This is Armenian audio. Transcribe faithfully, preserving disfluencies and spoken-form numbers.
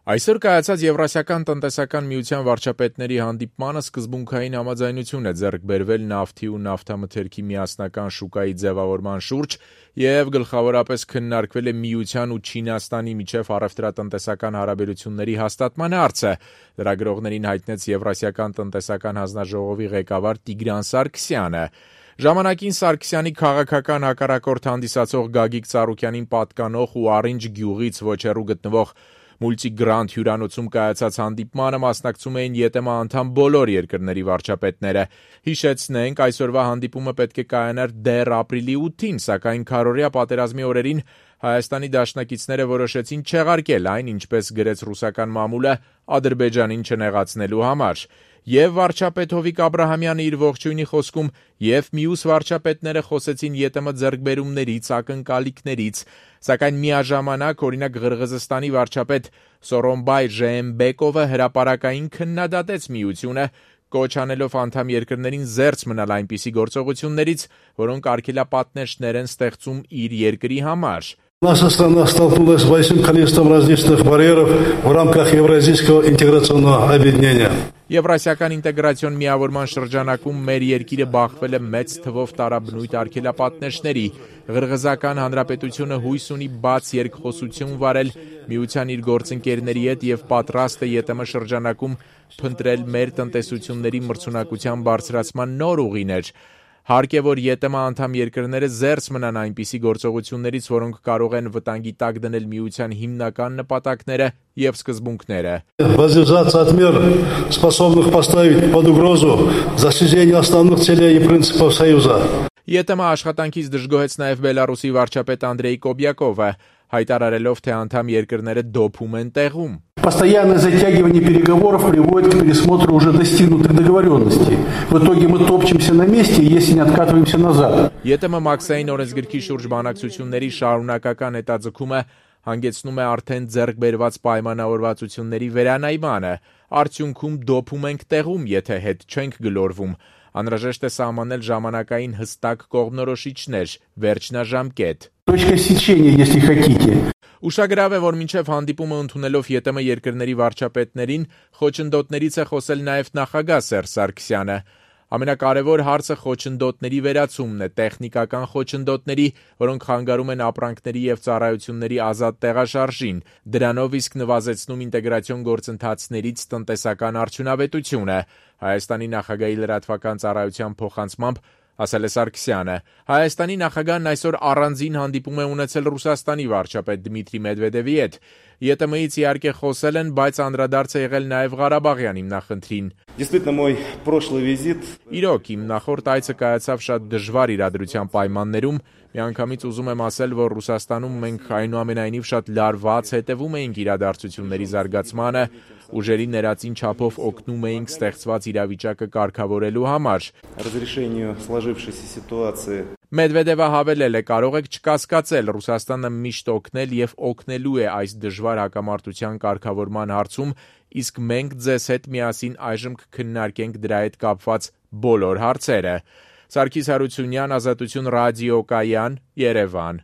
Այսօր կայացած Եվրասիական տնտեսական միության վարչապետների հանդիպմանը սկզբունքային համաձայնություն է ձեռք բերվել նավթի ու նավթամթերքի միասնական շուկայի ձևավորման շուրջ և գլխավորապես քննարկվել է միության ու Չինաստանի միջև առևտրատնտեսական հարաբերությունների հաստատման հարցը, լրագրողներին հայտնեց Եվրասիական տնտեսական հանձնաժողովի ղեկավար Տիգրան Սարգսյանը։ Ժամանակին Սարգսյանի քաղաքական հակառակորդ հանդիսացող Գագիկ Ծառուկյանին պատկանող ու Առինջ գյուղից ոչ հեռու գտնվող Multi-Grand հյուրանոցում կայացած հանդիպմանը մասնակցում էին ԵՏՄ անդամ բոլոր երկրների վարչապետները։ Հիշեցնենք, այսօրվա հանդիպումը պետք է կայանար դեռ ապրիլի ութին, սակայն քառօրյա պատերազմի օրերին Հայաստանի դաշնակիցները որոշեցին չեղարկել այն, ինչպես գրեց ռուսական մամուլը, Ադրբեջանին չնեղացնելու համար։ Եվ վարչապետ Հովիկ Աբրահամյանը իր ողջույնի խոսքում և մյուս վարչապետները խոսեցին ԵՏՄ ձեռքբերումներից, ակնկալիքներից, սակայն միաժամանակ, օրինակ Ղրղըզստանի վարչապետ Սորոնբայ Ժեենբեկովը հրապարակային քննադատեց միությունը, կոչ անելով անդամ երկրներին զերծ մնալ այնպիսի գործողություններից, որոնք արգելապատնեշտներ են ստեղծում իր երկրի համար։ Наша страна столкнулась с большим количеством различных барьеров в рамках Евразийского интеграционного объединения. Եվրասիական ինտեգրացիոն միավորման շրջանակում մեր երկիրը բախվել է մեծ թվով տարաբնույթ արգելապատնեշտների։ Ղրղըզական հանրապետությունը հույս ունի բաց երկխոսություն վարել միության իր գործընկերների հետ և պատրաստ է ԵՏՄ շրջանակում փնտրել մեր տնտեսությունների մրցունակության բարձրացման նոր ուղիներ։ Հարկ է, որ ԵՏՄ անդամ երկրները զերծ մնան այնպիսի գործողություններից, որոնք կարող են վտանգի տակ դնել միության հիմնական նպատակները և սկզբունքները։ Воздержаться от мер, способных поставить под угрозу достижение основных целей и принципов Союза. ԵՏՄ աշխատանքից դժգոհեց նաև Բելարուսի варчապետ Անդրեյ Կոբյակովը, հայտարարելով, թե անդամ երկրները դոփում են տեղում։ Постоянное затягивание переговоров приводит к пересмотру уже достигнутых договоренностей. В итоге мы топчемся на месте, если не откатываемся назад. ԵՏՄ մաքսային օրենսգրքի շուրջ բանակցությունների շարունակական հետաձգումը հանգեցնում է արդեն ձեռք բերված պայմանավորվածությունների վերանայմանը։ Արդյունքում դոփում ենք տեղում, եթե հետ չենք գլորվում։ Անհրաժեշտ է սահմանել ժամանակային հստակ կողմնորոշիչներ, վերջնաժամկետ։ Точка сечения, если хотите. Ուշագրավ է, որ մինչև հանդիպումը ընդունելով ԵՏՄ երկրների վարչապետներին, խոչընդոտներից է խոսել նաև նախագահ Սերժ Սարգսյանը։ Ամենակարևոր հարցը խոչընդոտների վերացումն է, տեխնիկական խոչընդոտների, որոնք խանգարում են ապրանքների և ծառայությունների ազատ տեղաշարժին, դրանով իսկ նվազեցնում ինտեգրացիոն գործընթացներից տնտեսական արդյունավետությունը։ Հայաստանի նախագահի լրատվական ծառայության փոխանցմամբ ասել է Սարգսյանը։ Հայաստանի նախագահն այսօր առանձին հանդիպում է ունեցել Ռուսաստանի վարչապետ Դմիտրի Մեդվեդևի հետ։ ԵՏՄ-ից իհարկե խոսել են, բայց անդրադարձ է եղել նաև Ղարաբաղյան հիմնախնդրին։ Իրոք, իմ նախորդ այցը կայացավ շատ դժվար իրադրության պայմաններում։ Միանգամից ուզում եմ ասել, որ Ռուսաստանում մենք այնուամենայնիվ շատ լարված հետևում էինք իրադարձությունների զարգացմանը, ուժերի ներածին չափով օգնում էինք ստեղծված իրավիճակը կարգավորելու համար։ Մեդվեդևը հավելել է, կարող եք չկասկածել, Ռուսաստանը միշտ օգնել և օգնելու է այս դժվար հակամարտության կարգավորման հարցում, իսկ մենք ձեզ հետ միասին այժմ կքննարկենք դրա հետ կապված բոլոր հարցերը։ Սարգիս Հարությունյան, Ազատություն ռադիոկայան, Երևան։